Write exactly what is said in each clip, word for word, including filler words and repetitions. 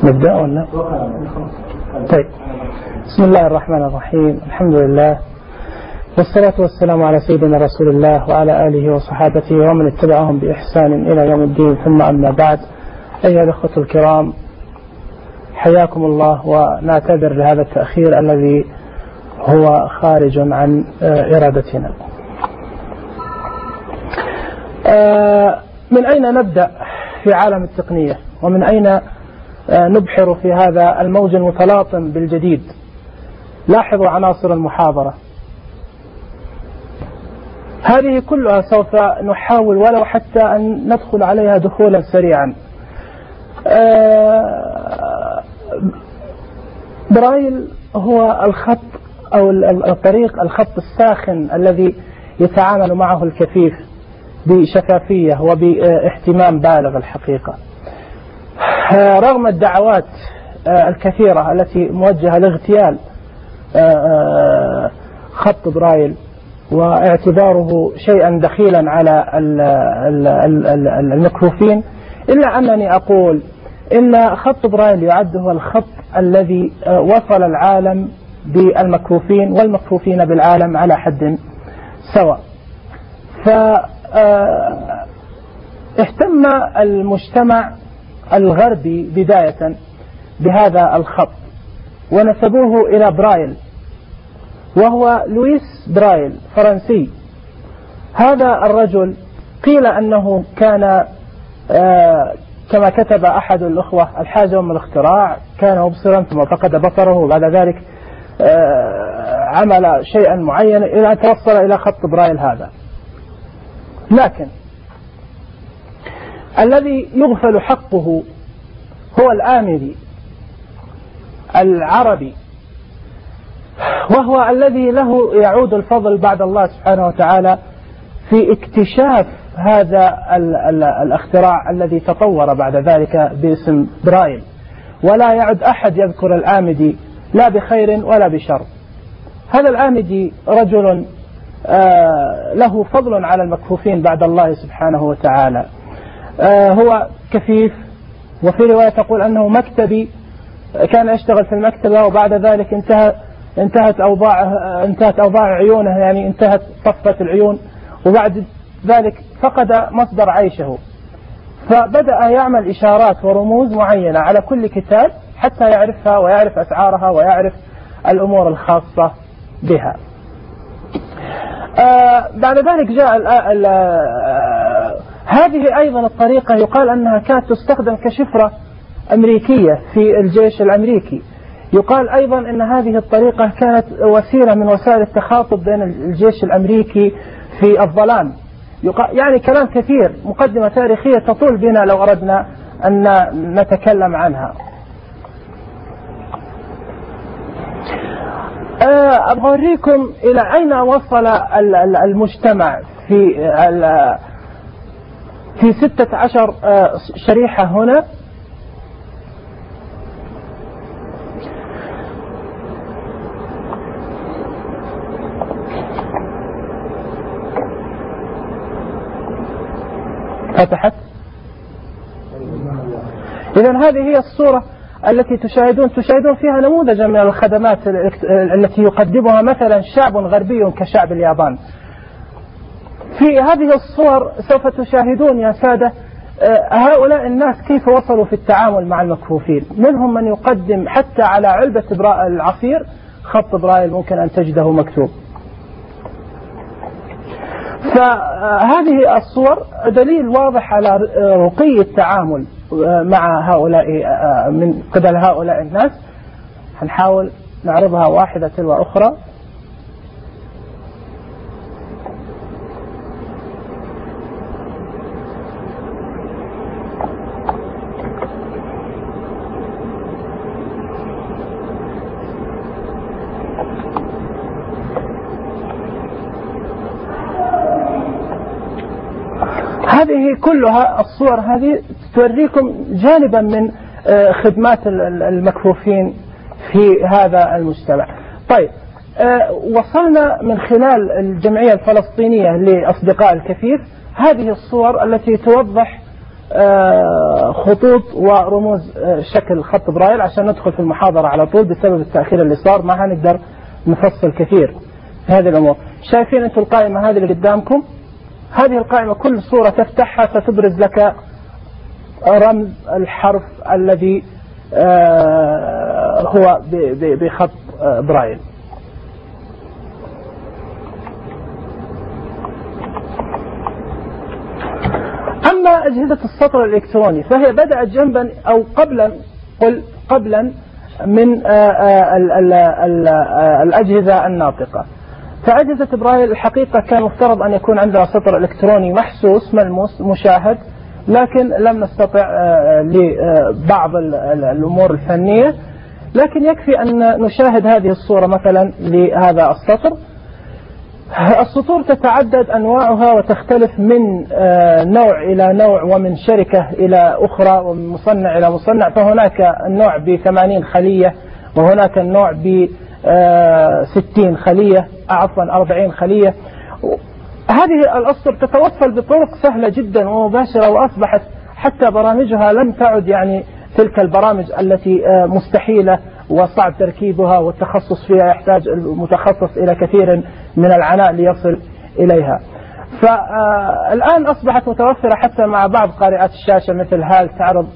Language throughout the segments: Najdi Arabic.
نبدأ ولا؟ طيب، بسم الله الرحمن الرحيم. الحمد لله والصلاة والسلام على سيدنا رسول الله وعلى آله وصحابته ومن اتبعهم بإحسان إلى يوم الدين، ثم أما بعد. أيها الأخوة الكرام، حياكم الله، ونعتذر لهذا التأخير الذي هو خارج عن إرادتنا. من أين نبدأ في عالم التقنية، ومن أين نبحر في هذا الموج المتلاطم بالجديد؟ لاحظوا عناصر المحاضرة هذه كلها سوف نحاول ولو حتى أن ندخل عليها دخولا سريعا. برايل هو الخط أو الطريق الخط الساخن الذي يتعامل معه الكفيف بشفافية وباهتمام بالغ الحقيقة، رغم الدعوات الكثيرة التي موجهة لاغتيال خط برايل واعتباره شيئا دخيلا على المكفوفين، إلا أنني أقول إن خط برايل يعد هو الخط الذي وصل العالم بالمكفوفين والمكفوفين بالعالم على حد سواء. فاهتم المجتمع الغربي بداية بهذا الخط ونسبوه إلى برايل، وهو لويس برايل فرنسي. هذا الرجل قيل أنه كان كما كتب أحد الأخوة الحاجة من الاختراع، كان مبصرا ثم فقد بصره، وبعد ذلك عمل شيئا معينا إلى أن توصل إلى خط برايل هذا. لكن الذي يغفل حقه هو الآمري العربي، وهو الذي له يعود الفضل بعد الله سبحانه وتعالى في اكتشاف هذا الاختراع الذي تطور بعد ذلك باسم برايل. ولا يعد أحد يذكر الآمدي لا بخير ولا بشر. هذا الآمدي رجل له فضل على المكفوفين بعد الله سبحانه وتعالى. هو كفيف، وفي رواية تقول أنه مكتبي، كان يشتغل في المكتبة وبعد ذلك انتهى انتهت أوضاع انتهت أوضاع عيونه، يعني انتهت صفة العيون، وبعد ذلك فقد مصدر عيشه، فبدأ يعمل إشارات ورموز معينة على كل كتاب حتى يعرفها ويعرف أسعارها ويعرف الأمور الخاصة بها. آه بعد ذلك جاء ال ال هذه أيضا الطريقة يقال أنها كانت تستخدم كشفرة أمريكية في الجيش الأمريكي. يقال أيضا أن هذه الطريقة كانت وسيلة من وسائل التخاطب بين الجيش الأمريكي في الظلام. يعني كلام كثير، مقدمة تاريخية تطول بنا لو أردنا أن نتكلم عنها. أوريكم إلى أين وصل المجتمع في في ستة عشر شريحة هنا. فتحت. إذن هذه هي الصورة التي تشاهدون تشاهدون فيها نموذجا من الخدمات التي يقدمها مثلا شعب غربي كشعب اليابان. في هذه الصور سوف تشاهدون يا سادة هؤلاء الناس كيف وصلوا في التعامل مع المكفوفين. منهم من يقدم حتى على علبة العصير خط برايل ممكن أن تجده مكتوب. فهذه الصور دليل واضح على رقي التعامل مع هؤلاء من قبل هؤلاء الناس. هنحاول نعرضها واحدة تلو أخرى. هذه كلها الصور هذه توريكم جانبا من خدمات المكفوفين في هذا المجتمع. طيب، وصلنا من خلال الجمعية الفلسطينية لأصدقاء الكفيف هذه الصور التي توضح خطوط ورموز شكل خط برايل عشان ندخل في المحاضرة على طول بسبب التأخير اللي صار، ما هنقدر نفصل كثير في هذه الأمور. شايفين أنتم القائمة هذه اللي قدامكم؟ هذه القائمة كل صورة تفتحها ستبرز لك رمز الحرف الذي هو بخط برايل. أما أجهزة السطر الإلكتروني فهي بدأت جنبا أو قبلا قل قبلا من الأجهزة الناطقة. فأجهزة برايل الحقيقة كان مفترض أن يكون عندها سطر إلكتروني محسوس ملموس مشاهد، لكن لم نستطع لبعض الأمور الفنية. لكن يكفي أن نشاهد هذه الصورة مثلا لهذا السطر. السطور تتعدد أنواعها وتختلف من نوع إلى نوع ومن شركة إلى أخرى ومن مصنع إلى مصنع. فهناك النوع بثمانين خلية وهناك النوع بستين خلية عفوا أربعين خلية. هذه الأسطر تتوصل بطرق سهلة جدا ومباشرة، وأصبحت حتى برامجها لم تعد يعني تلك البرامج التي مستحيلة وصعب تركيبها والتخصص فيها يحتاج المتخصص إلى كثير من العناء ليصل إليها. فالآن أصبحت متوفرة حتى مع بعض قارئات الشاشة مثل هال تعرض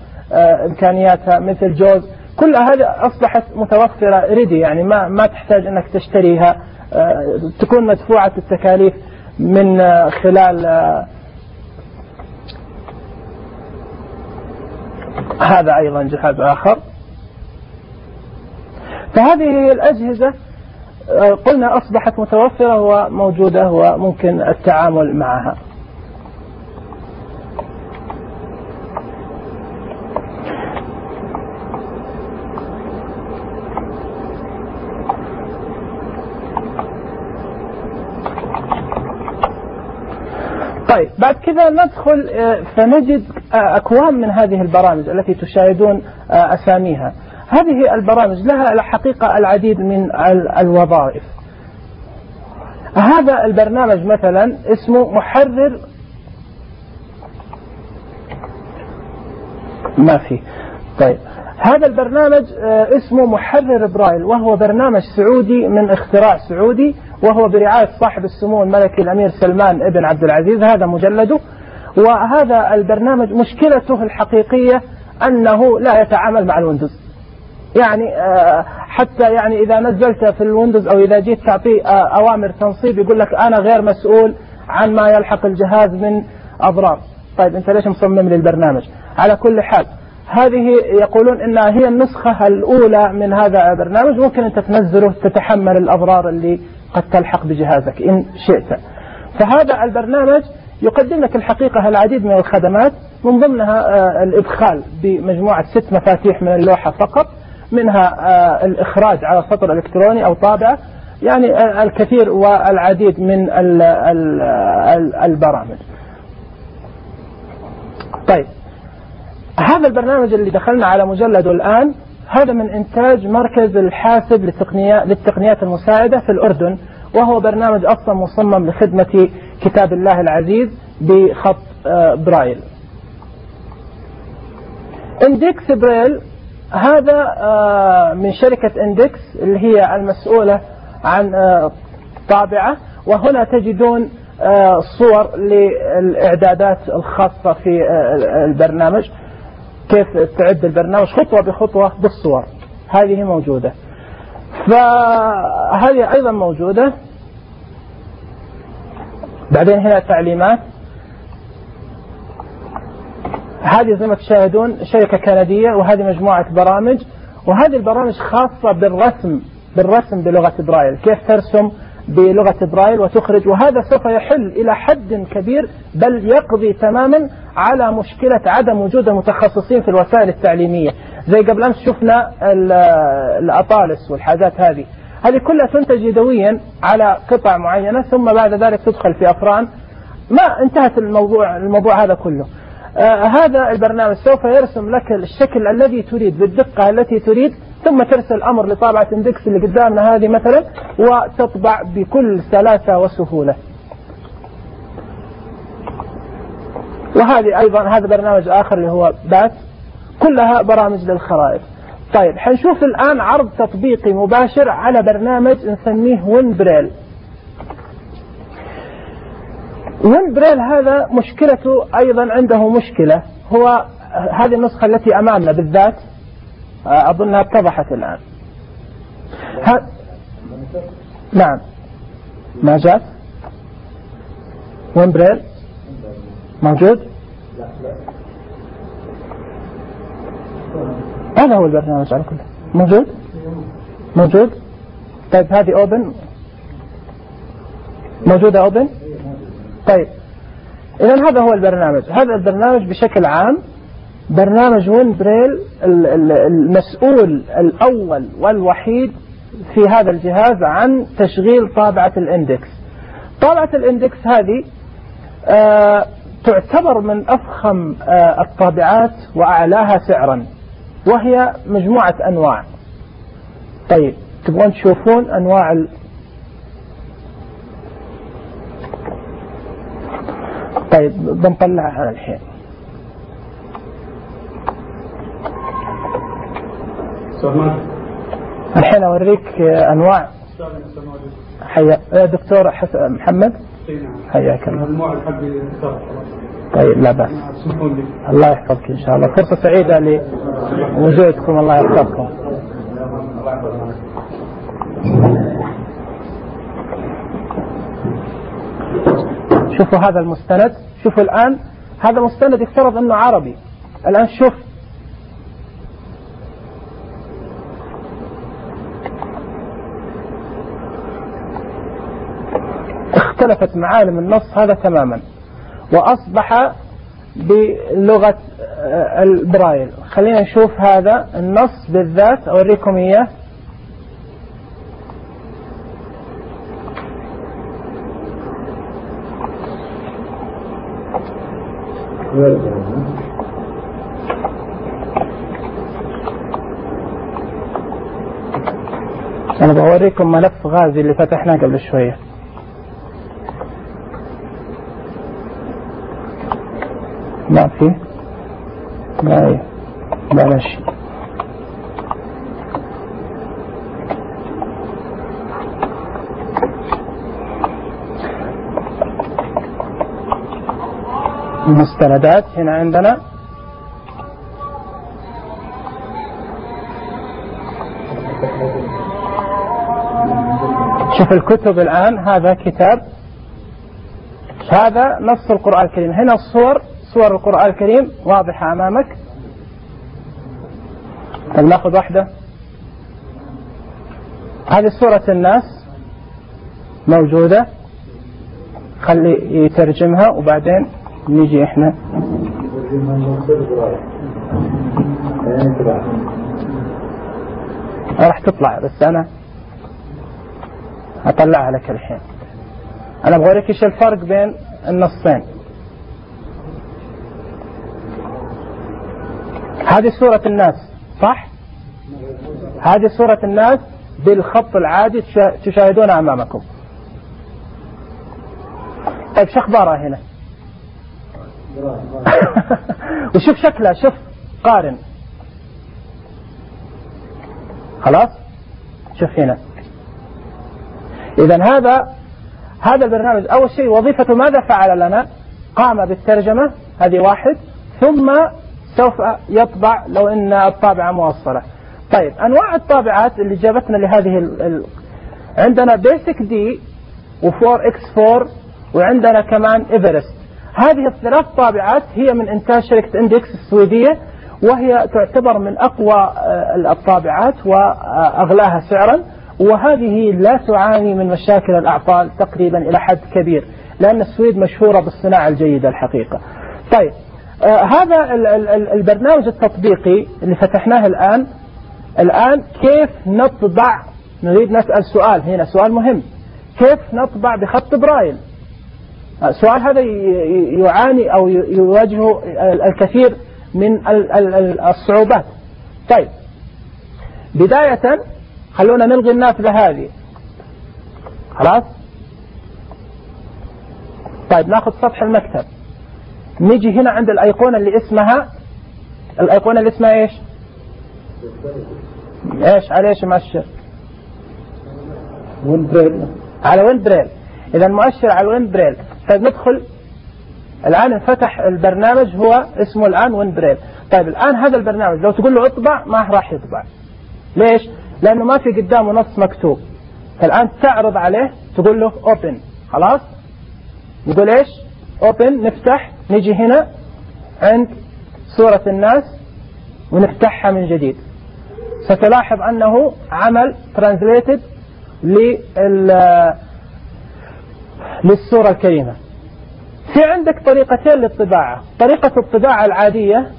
إمكانياتها، مثل جوز، كل هذه أصبحت متوفرة ريدي، يعني ما ما تحتاج أنك تشتريها، تكون مدفوعة التكاليف من خلال هذا أيضا جهاز آخر. فهذه الأجهزة قلنا أصبحت متوفرة وموجودة وممكن التعامل معها. طيب بعد كذا ندخل فنجد أكوام من هذه البرامج التي تشاهدون أساميها. هذه البرامج لها الحقيقة العديد من الوظائف. هذا البرنامج مثلا اسمه محرر ما في طيب هذا البرنامج اسمه محرر برايل، وهو برنامج سعودي من اختراع سعودي، وهو برعاية صاحب السمو الملكي الأمير سلمان ابن عبد العزيز، هذا مجلده. وهذا البرنامج مشكلته الحقيقية أنه لا يتعامل مع الويندوز، يعني حتى يعني إذا نزلت في الويندوز أو إذا جيت تعطيه أوامر تنصيب يقول لك أنا غير مسؤول عن ما يلحق الجهاز من أضرار. طيب أنت ليش مصمم للبرنامج؟ على كل حال هذه يقولون إنها هي النسخة الأولى من هذا البرنامج، ممكن أنت تنزله تتحمل الأضرار اللي قد تلحق بجهازك إن شئت. فهذا البرنامج يقدم لك الحقيقة العديد من الخدمات، من ضمنها الإدخال بمجموعة ست مفاتيح من اللوحة فقط، منها الإخراج على سطر إلكتروني أو طابعة، يعني الكثير والعديد من البرامج. طيب هذا البرنامج اللي دخلنا على مجلده الآن هذا من إنتاج مركز الحاسب للتقنيات المساعدة في الأردن، وهو برنامج أصلا مصمم لخدمة كتاب الله العزيز بخط برايل. اندكس برايل هذا من شركة اندكس اللي هي المسؤولة عن طابعة، وهنا تجدون صور للإعدادات الخاصة في البرنامج، كيف تعد البرنامج خطوة بخطوة بالصور، هذه موجودة. فهذه أيضا موجودة. بعدين هنا تعليمات، هذه زي ما تشاهدون شركة كندية، وهذه مجموعة برامج، وهذه البرامج خاصة بالرسم بالرسم بلغة برايل، كيف ترسم بلغة برايل وتخرج. وهذا سوف يحل إلى حد كبير بل يقضي تماما على مشكلة عدم وجود المتخصصين في الوسائل التعليمية. زي قبل أمس شفنا الأطالس والحاجات هذه هذه كلها تنتج يدويا على قطع معينة، ثم بعد ذلك تدخل في أفران، ما انتهت الموضوع الموضوع هذا كله. آه هذا البرنامج سوف يرسم لك الشكل الذي تريد بالدقة التي تريد، ثم ترسل أمر لطابعة اندكس اللي قدامنا هذه مثلا، وتطبع بكل سلاسة وسهولة. وهذه أيضا هذا برنامج آخر اللي هو بات، كلها برامج للخرائط. طيب حنشوف الآن عرض تطبيقي مباشر على برنامج نسميه وينبريل. وينبريل هذا مشكلته أيضا عنده مشكلة، هو هذه النسخة التي أمامنا بالذات أظنها اتضحت الآن. ها... نعم ما جاء وينبريل موجود؟ هذا هو البرنامج على كله موجود موجود. طيب هذه أوبن موجودة أوبن. طيب إذن هذا هو البرنامج. هذا البرنامج بشكل عام برنامج وينبريل المسؤول الأول والوحيد في هذا الجهاز عن تشغيل طابعة الاندكس. طابعة الاندكس هذه آه تعتبر من أفخم آه الطابعات وأعلاها سعرا، وهي مجموعة أنواع. طيب تبغون تشوفون أنواع ال... طيب بنطلعها الحين. الحين أوريك أنواع. حيا دكتور محمد حياك الله. طيب لا بأس، الله يحفظك إن شاء الله، فرصة سعيدة لوجودكم، الله يحفظكم. شوفوا هذا المستند، شوفوا الآن هذا مستند يفترض أنه عربي. الآن شوف اختلفت معالم النص هذا تماما وأصبح بلغة البرايل. خلينا نشوف هذا النص بالذات أوريكم إياه. أنا بوريكم ملف غازي اللي فتحناه قبل شوية. ما في لا لا شيء. المستندات هنا عندنا شوف الكتب الآن. هذا كتاب، هذا نص القرآن الكريم. هنا الصور، صور القرآن الكريم واضحة أمامك. ناخذ واحدة. هذه صورة الناس موجودة، خلي يترجمها وبعدين نيجي احنا. راح تطلع بس أنا أطلعها لك الحين. أنا بوريك إيش الفرق بين النصين. هذه صورة الناس صح؟ هذه صورة الناس بالخط العادي تشاهدونها أمامكم. طيب شو أخبارها هنا؟ وشوف شكلها، شوف قارن. خلاص شوف هنا. إذن هذا هذا البرنامج أول شيء وظيفته ماذا فعل لنا؟ قام بالترجمة، هذه واحد، ثم سوف يطبع لو إن الطابعة موصلة. طيب أنواع الطابعات اللي جابتنا لهذه ال... ال... عندنا بيسك دي وفور اكس فور وعندنا كمان إيفرست. هذه الثلاث طابعات هي من إنتاج شركة إندكس السويدية، وهي تعتبر من أقوى الطابعات وأغلاها سعرا، وهذه لا تعاني من مشاكل الأعطال تقريبا إلى حد كبير، لأن السويد مشهورة بالصناعة الجيدة الحقيقة. طيب آه هذا ال ال البرنامج التطبيقي اللي فتحناه الآن. الآن كيف نطبع؟ نريد نسأل سؤال هنا، سؤال مهم. كيف نطبع بخط برايل؟ السؤال هذا يعاني أو يواجهه الكثير من الصعوبات. طيب بداية خلونا نلغي النافذة هذه. خلاص. طيب ناخذ سطح المكتب. نيجي هنا عند الأيقونة اللي اسمها الأيقونة اللي اسمها إيش إيش على إيش مؤشر ويند بريل على ويند بريل. إذا المؤشر على ويند بريل. طيب ندخل الآن انفتح البرنامج هو اسمه الآن ويند بريل. طيب الآن هذا البرنامج لو تقول له اطبع ما راح يطبع. ليش؟ لأنه ما في قدامه نص مكتوب. فالآن تعرض عليه تقول له open. خلاص نقول إيش open. نفتح نيجي هنا عند صورة الناس ونفتحها من جديد. ستلاحظ أنه عمل translated للصورة الكريمة. في عندك طريقتين للطباعة. طريقة الطباعة العادية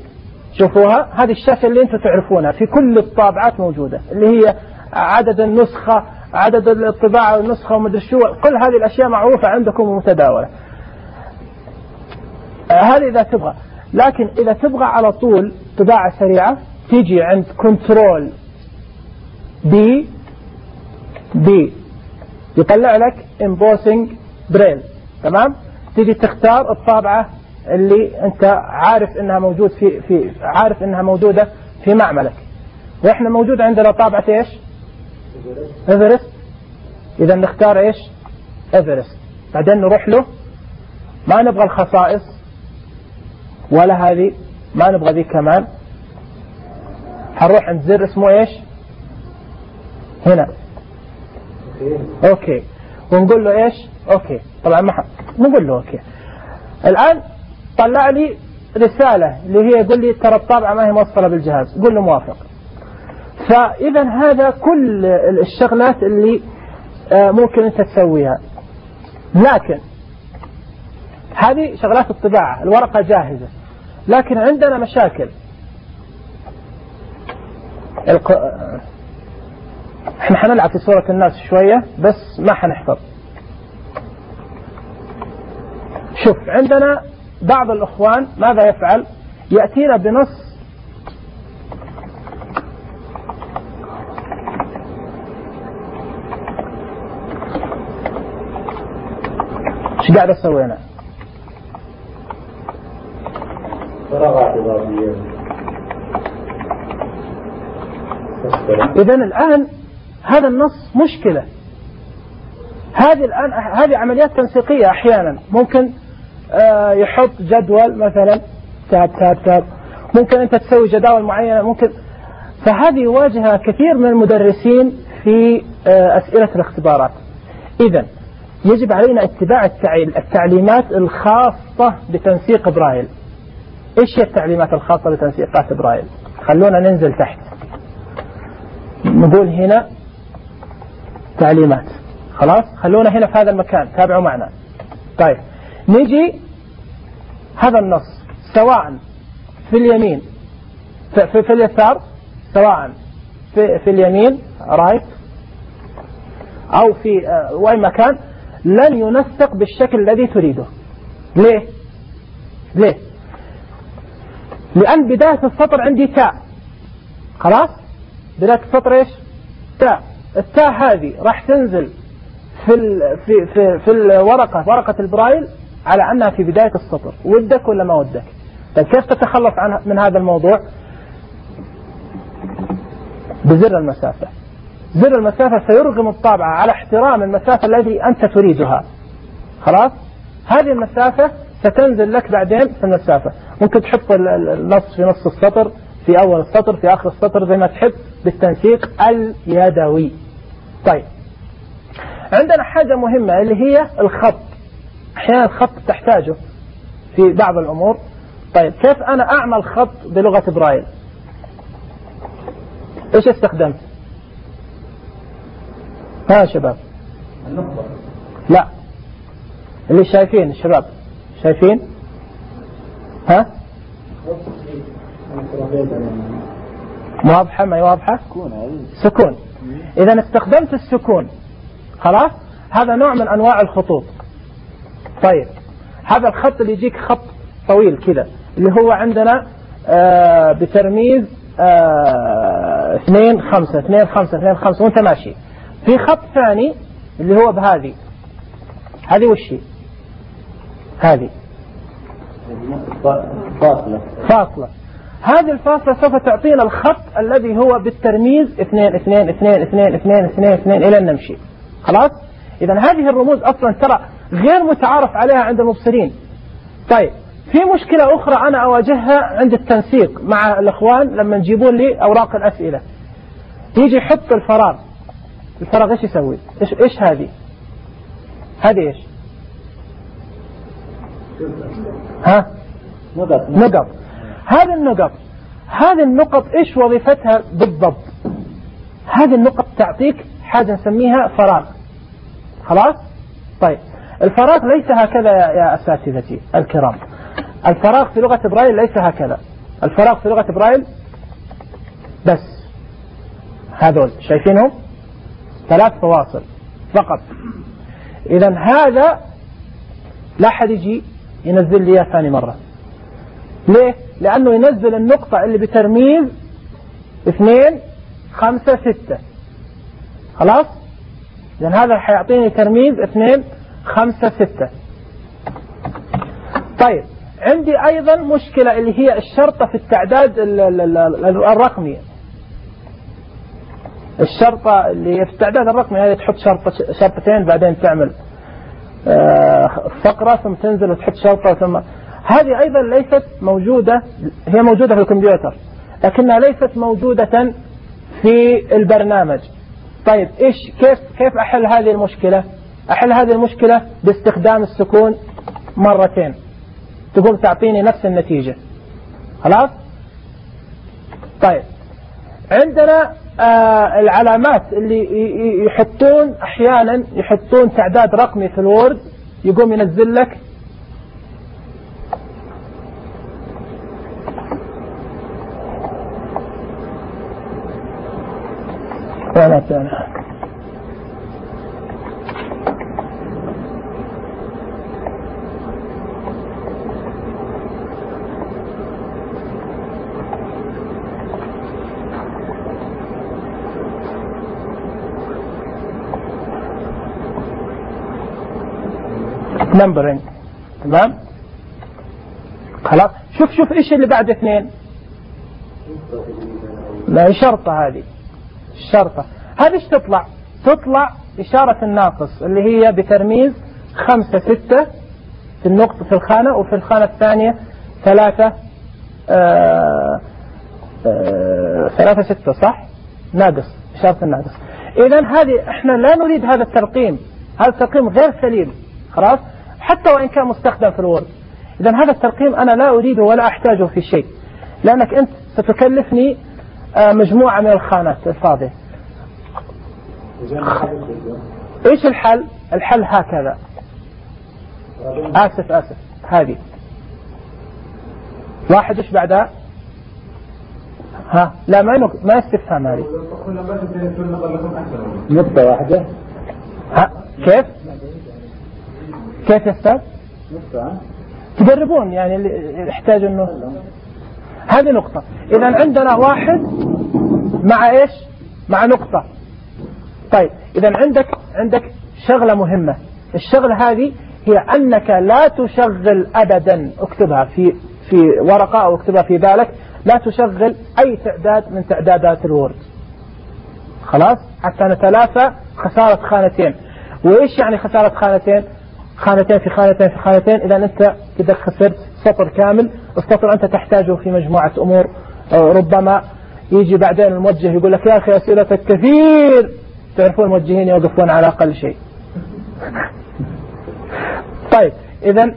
شوفوها، هذه الشاشة اللي انتم تعرفونها في كل الطابعات موجودة، اللي هي عدد النسخة عدد الطباعة والنسخة ومدري شو، كل هذه الأشياء معروفة عندكم ومتداولة. هذه إذا تبغى. لكن إذا تبغى على طول طباعة سريعة تيجي عند كنترول بي بي يطلع لك embossing braille. تمام. تيجي تختار الطابعة اللي انت عارف انها موجود في في عارف انها موجودة في معملك. واحنا موجود عندنا طابعة ايش ايفرست. اذا نختار ايش ايفرست. بعدين نروح له. ما نبغى الخصائص ولا هذه، ما نبغى ذي كمان. هنروح عند زر اسمه ايش هنا اوكي ونقول له ايش اوكي. طبعا ما نقول له اوكي. الان طلع لي رسالة اللي هي يقول لي ترى الطابعة ما هي موصلة بالجهاز. قول له موافق. فاذا هذا كل الشغلات اللي ممكن انت تسويها. لكن هذه شغلات الطباعة، الورقة جاهزة. لكن عندنا مشاكل. الق... احنا حنلعب في صورة الناس شوية بس ما حنحفظ. شوف عندنا بعض الأخوان ماذا يفعل؟ يأتينا بنص ايش قاعد اسوي انا؟ إذا الآن هذا النص مشكلة. هذه الآن هذه عمليات تنسيقية. أحيانا ممكن آه يحط جدول مثلا تاب تاب تاب. ممكن أنت تسوي جداول معينة. ممكن فهذه يواجهها كثير من المدرسين في آه أسئلة الاختبارات. إذا يجب علينا اتباع التعليمات الخاصة بتنسيق برايل. إيش هي التعليمات الخاصة بتنسيقات برايل؟ خلونا ننزل تحت نقول هنا تعليمات. خلاص خلونا هنا في هذا المكان تابعوا معنا. طيب نيجي هذا النص سواء في اليمين في, في, في اليسار، سواء في, في اليمين رايت أو في أي مكان لن ينسق بالشكل الذي تريده. ليه؟ ليه؟ لأن بداية السطر عندي تاء. خلاص بداية السطر إيش؟ تاء. التاء هذه راح تنزل في ال في في في الورقة ورقة البرايل على أنها في بداية السطر. ودك ولا ما ودك؟ طيب كيف تتخلص عن من هذا الموضوع؟ بزر المسافة. زر المسافة سيرغم الطابعة على احترام المسافة التي أنت تريدها. خلاص هذه المسافة ستنزل لك بعدين في المسافة. ممكن تحط النص في نص السطر، في أول السطر، في آخر السطر، زي ما تحب بالتنسيق اليدوي. طيب عندنا حاجة مهمة اللي هي الخط. أحيانا الخط تحتاجه في بعض الأمور. طيب كيف أنا أعمل خط بلغة برايل؟ إيش استخدمت؟ ها شباب؟ لا اللي شايفين الشباب شايفين؟ ها؟ واضحة ما واضحة؟ سكون. إذا استخدمت السكون. خلاص هذا نوع من أنواع الخطوط. طيب هذا الخط اللي يجيك خط طويل كذا اللي هو عندنا آه بترميز آه اثنين خمسة اثنين خمسة اثنين خمسة وانت ماشي. في خط ثاني اللي هو بهذه. هذه وشي؟ هذه فاصلة فاصلة. هذه الفاصلة سوف تعطينا الخط الذي هو بالترميز اثنين اثنين اثنين اثنين اثنين اثنين اثنين إلى أن نمشي. خلاص. إذا هذه الرموز أصلا ترى غير متعارف عليها عند المبصرين. طيب في مشكلة أخرى أنا أواجهها عند التنسيق مع الأخوان لما يجيبون لي أوراق الأسئلة، يجي يحط الفراغ. الفراغ إيش يسوي؟ إيش إيش هذه؟ هذه إيش؟ ها؟ نقط. نقط. هذه النقط هذه النقط إيش وظيفتها بالضبط؟ هذه النقط تعطيك حاجة نسميها فراغ. خلاص؟ طيب الفراغ ليس هكذا يا أساتذتي الكرام. الفراغ في لغة برايل ليس هكذا. الفراغ في لغة برايل بس هذول شايفينهم ثلاث فواصل فقط. إذا هذا لا حد يجي ينزل لي ثاني مرة. ليه؟ لأنه ينزل النقطة اللي بترميز اثنين خمسة ستة. خلاص؟ لأن هذا حيعطيني ترميز اثنين خمسة ستة. طيب عندي أيضا مشكلة اللي هي الشرطة في التعداد الرقمي. الشرطة اللي في التعداد الرقمي هذه تحط شرطة شرطتين بعدين تعمل فقرة ثم تنزل وتحط شرطة ثم هذه أيضا ليست موجودة. هي موجودة في الكمبيوتر لكنها ليست موجودة في البرنامج. طيب إيش كيف كيف أحل هذه المشكلة؟ أحل هذه المشكلة باستخدام السكون مرتين تقوم تعطيني نفس النتيجة. خلاص. طيب عندنا آه العلامات اللي يحطون أحيانا يحطون تعداد رقمي في الوورد يقوم ينزل لك ولا ثاني. نمبرين. تمام. خلاص. شوف شوف ايش اللي بعد اثنين. لا شرطة هذه الشرطة هذه ايش تطلع؟ تطلع إشارة الناقص اللي هي بترميز خمسة ستة في النقطة في الخانة وفي الخانة الثانية ثلاثة آه آه ثلاثة ستة صح؟ ناقص إشارة الناقص. إذن هذه احنا لا نريد هذا الترقيم. هذا الترقيم غير سليم. خلاص. حتى وإن كان مستخدم في الوورد. إذن هذا الترقيم أنا لا أريده ولا أحتاجه في شيء لأنك أنت ستكلفني مجموعة من الخانات الفاضية. إيش الحل؟ الحل هكذا. آسف آسف هذه واحد إيش بعدها؟ ها لا ما نق... ما استفهام هذه نقطة واحدة. ها كيف؟ كيف يا أستاذ؟ نقطة تجربون يعني اللي يحتاج إنه هذه نقطة. إذا عندنا واحد مع إيش؟ مع نقطة. طيب إذا عندك عندك شغلة مهمة. الشغلة هذه هي أنك لا تشغل أبدا اكتبها في في ورقة أو اكتبها في بالك لا تشغل أي تعداد من تعدادات الوورد. خلاص حتى نتلافى خسارة خانتين. وإيش يعني خسارة خانتين؟ خانتين في خانتين في خانتين. إذا أنت كده خسرت سطر كامل. السطر أنت تحتاجه في مجموعة أمور. ربما يجي بعدين الموجه يقول لك يا أخي أسئلتك كثير. تعرفون الموجهين يوقفون على أقل شيء. طيب إذن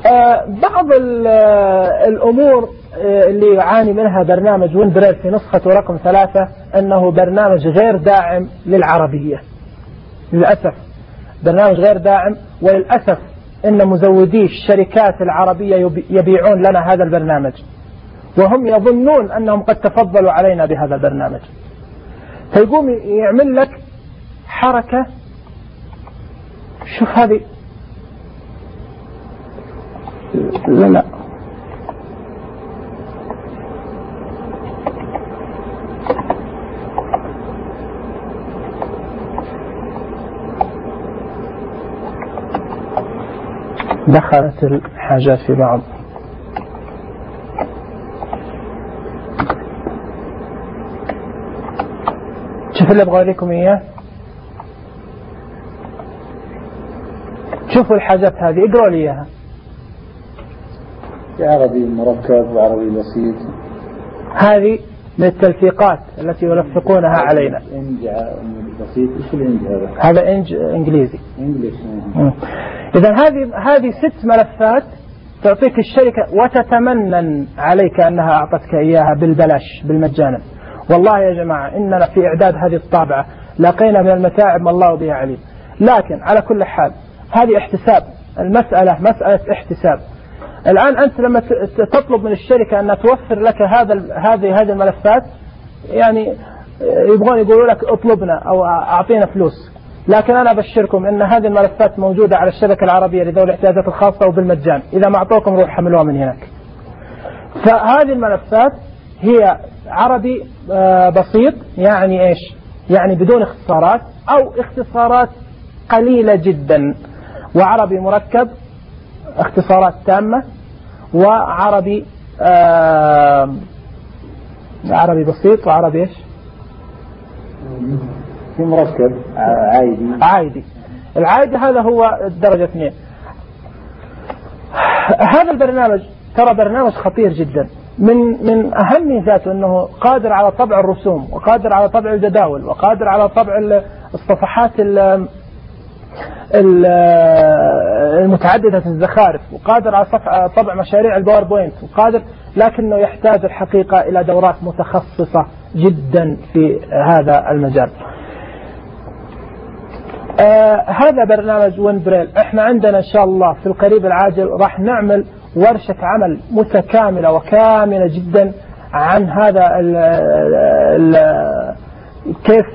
آه بعض الأمور آه اللي يعاني منها برنامج ويندريل في نسخة رقم ثلاثة أنه برنامج غير داعم للعربية للأسف. برنامج غير داعم وللأسف إن مزودي الشركات العربية يبيعون لنا هذا البرنامج وهم يظنون أنهم قد تفضلوا علينا بهذا البرنامج. فيقوم يعمل لك حركة. شوف هذه لا لا دخلت الحاجات في بعض. شوف اللي أبغى أوريكم إياه، شوفوا الحاجات هذه، اقرأوا لي إياها. عربي مركب وعربي بسيط. هذه من التلفيقات التي يلفقونها علينا. إنج بسيط. إيش الإنج هذا؟ هذا إنج إنجليزي. إنجليش. إذا هذه هذه ست ملفات تعطيك الشركة وتتمنن عليك أنها أعطتك إياها بالبلاش بالمجانا. والله يا جماعة إننا في إعداد هذه الطابعة لقينا من المتاعب ما الله بها عليم، لكن على كل حال هذه احتساب، المسألة مسألة احتساب. الآن أنت لما تطلب من الشركة أن توفر لك هذا هذه هذه الملفات، يعني يبغون يقولوا لك اطلبنا أو أعطينا فلوس، لكن أنا أبشركم أن هذه الملفات موجودة على الشبكة العربية لذوي الاحتياجات الخاصة وبالمجان، إذا ما أعطوكم روح حملوها من هناك. فهذه الملفات هي عربي بسيط، يعني إيش؟ يعني بدون اختصارات أو اختصارات قليلة جدا، وعربي مركب اختصارات تامة، وعربي آه عربي بسيط، وعربي إيش؟ مركب عايدي. عايدي. العايدي هذا هو الدرجة اثنين. هذا البرنامج ترى برنامج خطير جدا، من من أهم ميزاته أنه قادر على طبع الرسوم، وقادر على طبع الجداول، وقادر على طبع الصفحات المتعددة الزخارف، وقادر على طبع مشاريع الباوربوينت، وقادر، لكنه يحتاج الحقيقة إلى دورات متخصصة جدا في هذا المجال. آه هذا برنامج وينبريل. احنا عندنا ان شاء الله في القريب العاجل راح نعمل ورشة عمل متكاملة وكاملة جدا عن هذا ال ال كيف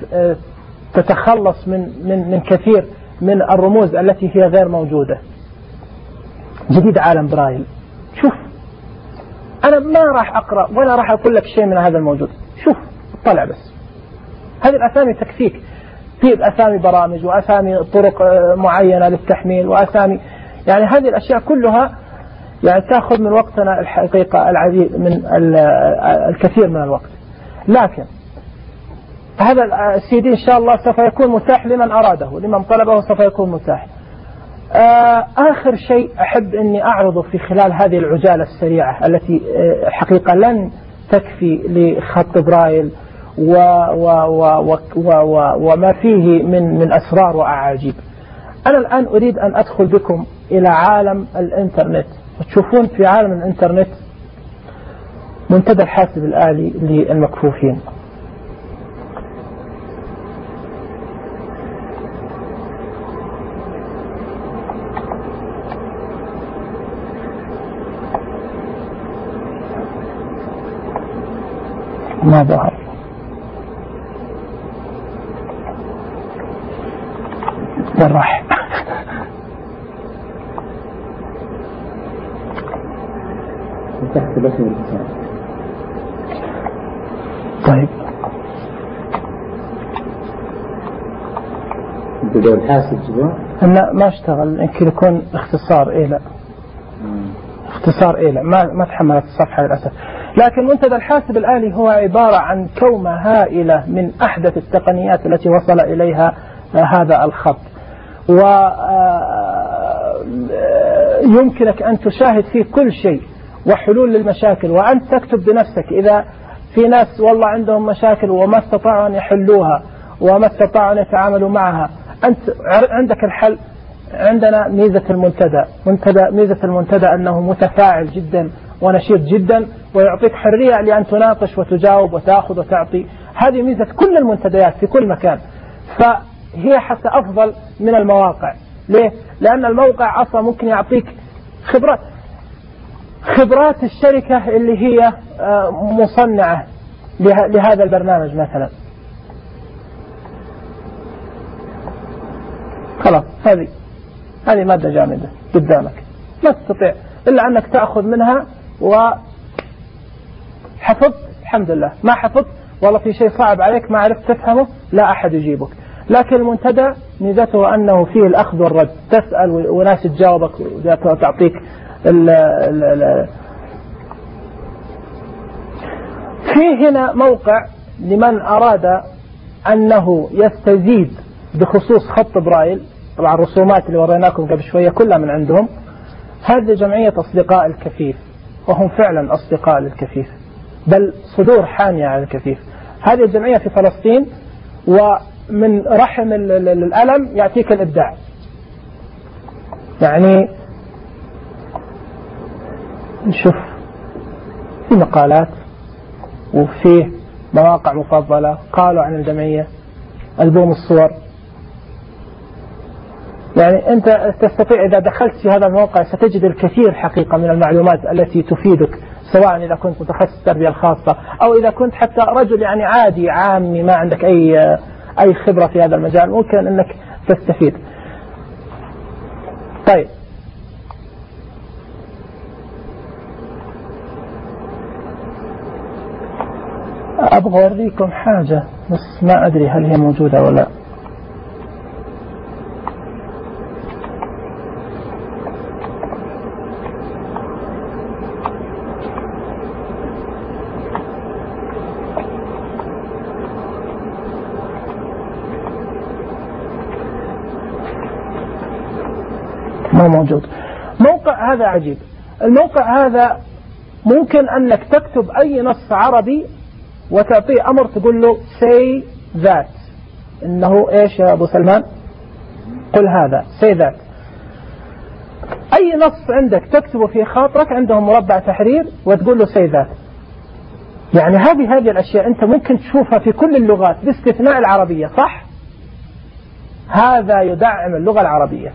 تتخلص من من من كثير من الرموز التي هي غير موجودة. جديد عالم برايل. شوف أنا ما راح أقرأ ولا راح أقول لك شيء من هذا الموجود، شوف طلع بس هذه الأسامي تكفيك. في أسامي برامج وأسامي طرق معينة للتحميل وأسامي، يعني هذه الأشياء كلها يعني تأخذ من وقتنا الحقيقة العديد من الكثير من الوقت، لكن هذا السي دي إن شاء الله سوف يكون متاح لمن أراده، لمن طلبه سوف يكون متاح. آخر شيء أحب أني أعرضه في خلال هذه العجالة السريعة التي حقيقة لن تكفي لخط برايل و و و و و وما فيه من من أسرار وأعاجيب. أنا الآن أريد أن أدخل بكم إلى عالم الإنترنت، وتشوفون في عالم الإنترنت منتدى الحاسب الآلي للمكفوفين. ما ظهر راح تحت بس الاتصال. طيب بدأ الحاسب جوا؟ لا ما اشتغل، يمكن يكون اختصار إيه لا مم. اختصار إيه لا ما ما تحملت الصفحة للأسف. لكن منتدى الحاسب الآلي هو عبارة عن كومة هائلة من أحدث التقنيات التي وصل إليها هذا الخط، ويمكنك أن تشاهد فيه كل شيء وحلول للمشاكل، وأنت تكتب بنفسك إذا في ناس والله عندهم مشاكل وما استطاعوا أن يحلوها وما استطاعوا أن يتعاملوا معها، أنت عندك الحل. عندنا ميزة المنتدى منتدى ميزة المنتدى أنه متفاعل جدا ونشيط جدا، ويعطيك حرية لأن تناقش وتجاوب وتأخذ وتعطي. هذه ميزة كل المنتديات في كل مكان، فهي حتى أفضل من المواقع. ليه؟ لأن الموقع أصلا ممكن يعطيك خبرات خبرات الشركة اللي هي مصنعة لهذا البرنامج مثلا. خلاص هذه هذه مادة جامدة قدامك، ما تستطيع إلا أنك تأخذ منها وحفظت الحمد لله، ما حفظت والله في شيء صعب عليك ما عرفت تفهمه لا أحد يجيبك. لكن المنتدى ميزته أنه فيه الأخذ والرد، تسأل وناس تجاوبك وتعطيك ال ال ال فيه هنا موقع لمن أراد أنه يستزيد بخصوص خط برايل. طبعا الرسومات اللي وريناكم قبل شوية كلها من عندهم. هذه جمعية أصدقاء الكفيف، وهم فعلا أصدقاء للكفيف، بل صدور حامية على الكفيف. هذه الجمعية في فلسطين، ومن رحم الألم يأتيك الإبداع. يعني نشوف في مقالات وفيه مواقع مفضلة قالوا عن الجمعية، ألبوم الصور. يعني أنت تستطيع إذا دخلت في هذا الموقع ستجد الكثير حقيقة من المعلومات التي تفيدك، سواء إذا كنت متخصص التربية الخاصة أو إذا كنت حتى رجل يعني عادي عامي ما عندك أي أي خبرة في هذا المجال، ممكن أنك تستفيد. طيب أبغى أوريكم حاجة بس ما أدري هل هي موجودة ولا. ما موجود. موقع هذا عجيب. الموقع هذا ممكن أنك تكتب أي نص عربي وتعطيه أمر تقول له say that، إنه إيش يا أبو سلمان؟ قل هذا say that. أي نص عندك تكتبه في خاطرك عندهم مربع تحرير وتقول له say that. يعني هذه هذه الأشياء أنت ممكن تشوفها في كل اللغات باستثناء العربية، صح؟ هذا يدعم اللغة العربية،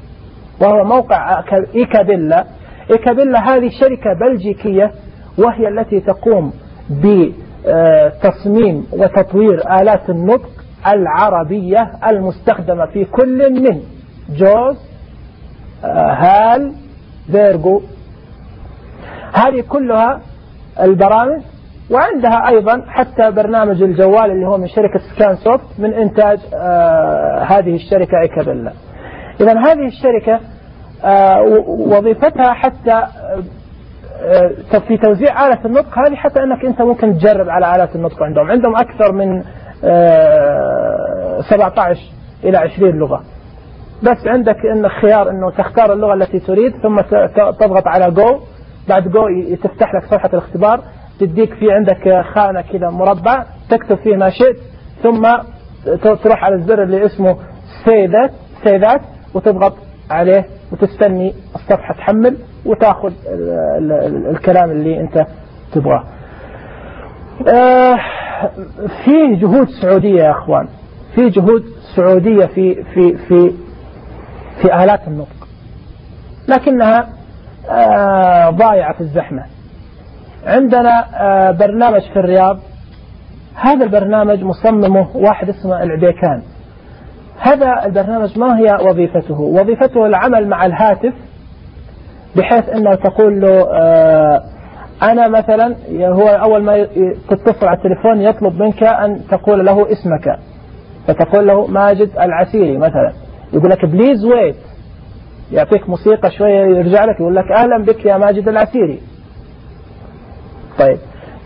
وهو موقع إيكابيلا. إيكابيلا هذه شركة بلجيكية، وهي التي تقوم بتصميم وتطوير آلات النطق العربية المستخدمة في كل من جوز، هال، فيرجو، هذه كلها البرامج. وعندها أيضا حتى برنامج الجوال اللي هو من شركة سكان سوفت من إنتاج هذه الشركة إيكابيلا. إذن هذه الشركة وظيفتها حتى في توزيع آلة النطق هذه، حتى أنك أنت ممكن تجرب على آلات النطق عندهم. عندهم أكثر من سبعة عشر إلى عشرين لغة، بس عندك إن خيار إنه تختار اللغة التي تريد، ثم تضغط على جو. بعد جو تفتح لك صفحة الاختبار، تديك في عندك خانة كذا مربع تكتب فيه ما شئت، ثم تروح على الزر اللي اسمه say that say that وتضغط عليه وتستني الصفحة تحمل وتأخذ ال ال الكلام اللي أنت تبغاه. آه فيه جهود سعودية يا أخوان، فيه جهود سعودية في في في في آلات النطق، لكنها آه ضايعة في الزحمة. عندنا آه برنامج في الرياض، هذا البرنامج مصممه واحد اسمه العبيكان. هذا البرنامج ما هي وظيفته؟ وظيفته العمل مع الهاتف، بحيث أنه تقول له آه أنا مثلا، هو أول ما تتصل على التليفون يطلب منك أن تقول له اسمك، فتقول له ماجد العسيري مثلا، يقول لك بليز ويت، يعطيك موسيقى شوية يرجع لك يقول لك أهلا بك يا ماجد العسيري. طيب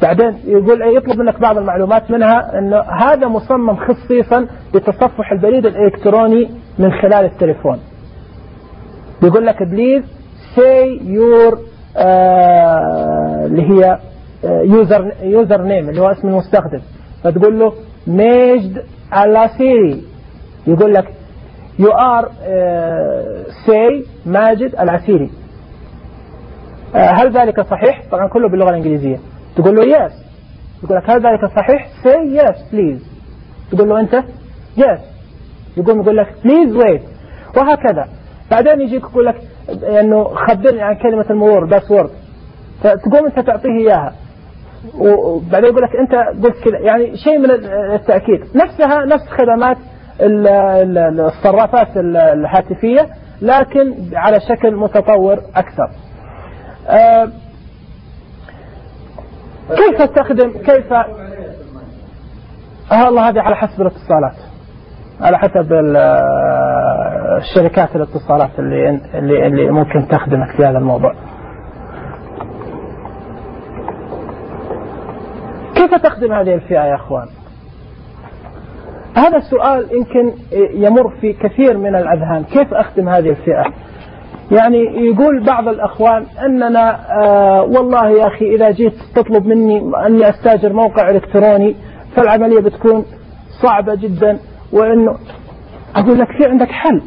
بعدين يقول يطلب منك بعض المعلومات، منها أنه هذا مصمم خصيصا لتصفح البريد الإلكتروني من خلال التليفون. يقول لك بليز say your آه اللي هي يوزر يوزر نيم اللي هو اسم المستخدم، فتقول له ماجد العسيري، يقول لك you are آه say ماجد العسيري. آه هل ذلك صحيح؟ طبعا كله باللغة الإنجليزية. تقول له yes، يقول لك هل ذلك صحيح؟ say yes please. تقول له أنت yes، يقوم يقول لك please wait، وهكذا. بعدين يجيك يقول لك انه خبرني عن كلمة المرور باسورد، فتقوم انت تعطيه اياها، وبعدين يقول لك انت قلت كذا، يعني شيء من التأكيد. نفسها نفس خدمات الصرافات الهاتفية، لكن على شكل متطور اكثر. أه كيف تستخدم كيف آه الله هذه على حسب الاتصالات. على حسب الشركات الاتصالات اللي اللي اللي ممكن تخدمك في هذا الموضوع. كيف تخدم هذه الفئة يا أخوان؟ هذا السؤال يمكن يمر في كثير من الأذهان. كيف أخدم هذه الفئة؟ يعني يقول بعض الأخوان أننا آه والله يا أخي إذا جيت تطلب مني أني أستاجر موقع إلكتروني فالعملية بتكون صعبة جدا، وأنه أقول لك في عندك حل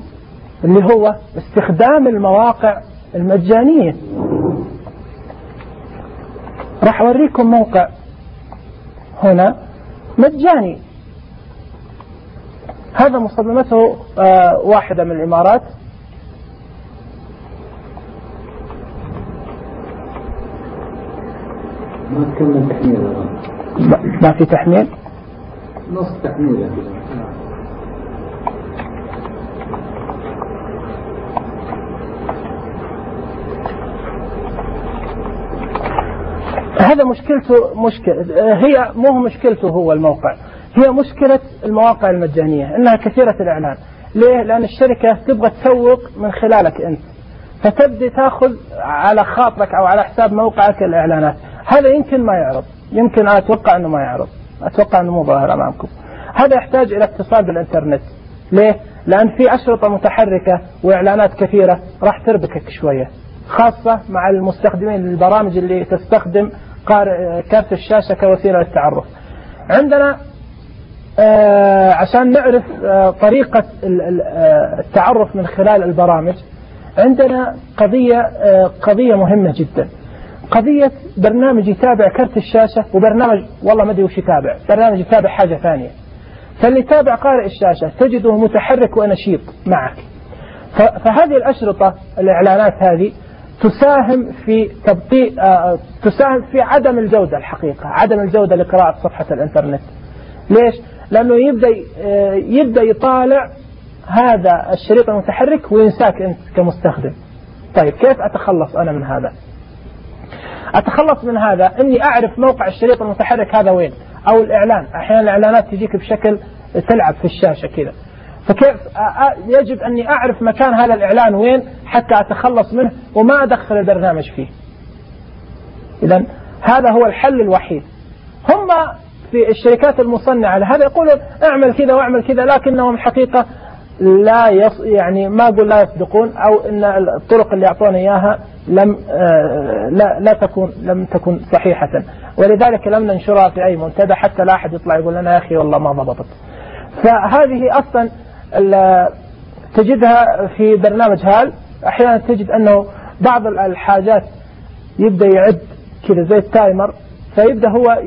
اللي هو استخدام المواقع المجانية. راح أوريكم موقع هنا مجاني، هذا مصممته آه واحدة من الإمارات. ما تكمل تحميل، ما في تحميل، نص تحميل. هذا مشكلته مشكلة، هي مو مشكلته هو الموقع، هي مشكلة المواقع المجانية إنها كثيرة الإعلان. ليه؟ لأن الشركة تبغى تسوق من خلالك أنت، فتبدي تأخذ على خاطرك أو على حساب موقعك الإعلانات. هذا يمكن ما يعرض، يمكن أتوقع أنه ما يعرض، أتوقع أنه مو ظاهر أمامكم. هذا يحتاج إلى اتصال بالإنترنت. ليه؟ لأن في أشرطة متحركة وإعلانات كثيرة راح تربكك شوية، خاصة مع المستخدمين للبرامج اللي تستخدم كارت الشاشة كوسيلة للتعرف. عندنا آه عشان نعرف آه طريقة التعرف من خلال البرامج، عندنا قضية آه قضية مهمة جدا، قضية برنامج يتابع كارت الشاشة وبرنامج والله ما ادري وش يتابع، برنامج يتابع حاجة ثانية. فاللي يتابع قارئ الشاشة تجده متحرك ونشيط معك. فهذه الأشرطة الإعلانات هذه تساهم في تبطيء آه تساهم في عدم الجودة، الحقيقة عدم الجودة لقراءة صفحة الإنترنت. ليش؟ لأنه يبدأ آه يبدأ يطالع هذا الشريط المتحرك وينساك أنت كمستخدم. طيب كيف أتخلص أنا من هذا؟ أتخلص من هذا إني أعرف موقع الشريط المتحرك هذا وين، أو الإعلان. أحيانا الإعلانات تجيك بشكل تلعب في الشاشة كذا، فكيف يجب أني أعرف مكان هذا الإعلان وين حتى أتخلص منه وما أدخل البرنامج فيه. إذن هذا هو الحل الوحيد. هم في الشركات المصنعة لهذا يقولون اعمل كذا واعمل كذا، لكنهم حقيقة لا يص يعني ما أقول لا يصدقون، أو إن الطرق اللي يعطون إياها لم آه لا لا تكون لم تكن صحيحة، ولذلك لم ننشرها في أي منتدى حتى لا أحد يطلع يقول لنا يا أخي والله ما ضبطت. فهذه أصلا تجدها في برنامج هال. أحيانا تجد أنه بعض الحاجات يبدأ يعد كذا زي التايمر، فيبدأ هو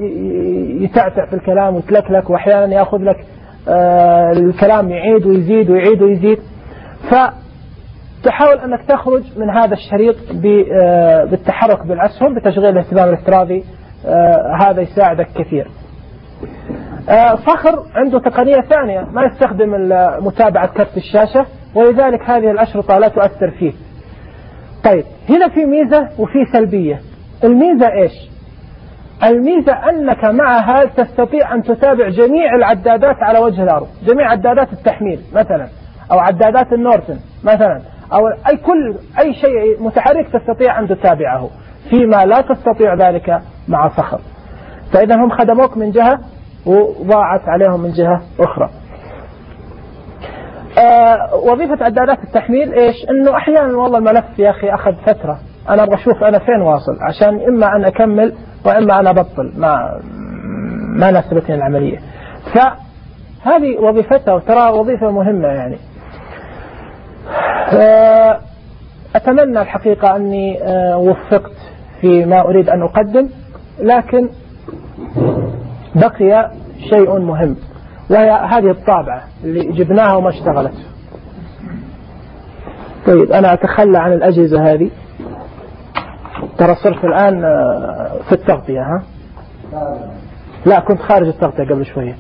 يتعتع في الكلام ويتلكلك، وأحيانا يأخذ لك آه الكلام يعيد ويزيد ويعيد ويزيد. فتحاول أنك تخرج من هذا الشريط آه بالتحرك بالأسهم بتشغيل الاهتمام الافتراضي. آه هذا يساعدك كثير. آه صخر عنده تقنية ثانية، ما يستخدم متابعة كرت الشاشة، ولذلك هذه الأشرطة لا تؤثر فيه. طيب هنا في ميزة وفي سلبية. الميزة إيش؟ الميزة أنك معها تستطيع أن تتابع جميع العدادات على وجه الأرض، جميع عدادات التحميل مثلا، أو عدادات النورتن مثلا، أو أي كل أي شيء متحرك تستطيع أن تتابعه، فيما لا تستطيع ذلك مع صخر. فإذا هم خدموك من جهة وضاعت عليهم من جهة أخرى. آه وظيفة عدادات التحميل إيش؟ إنه أحيانا والله الملف يا أخي أخذ فترة، أنا أبغى أشوف أنا فين واصل، عشان إما أن أكمل وإما أنا أبطل، ما ما ناسبتني العملية. فهذه وظيفتها، وترى وظيفة مهمة يعني. آه أتمنى الحقيقة أني آه وفقت في ما أريد أن أقدم، لكن بقي شيء مهم، وهي هذه الطابعة اللي جبناها وما اشتغلت. طيب أنا أتخلى عن الأجهزة هذه، ترى صرت الآن في التغطية. ها لا كنت خارج التغطية قبل شوية.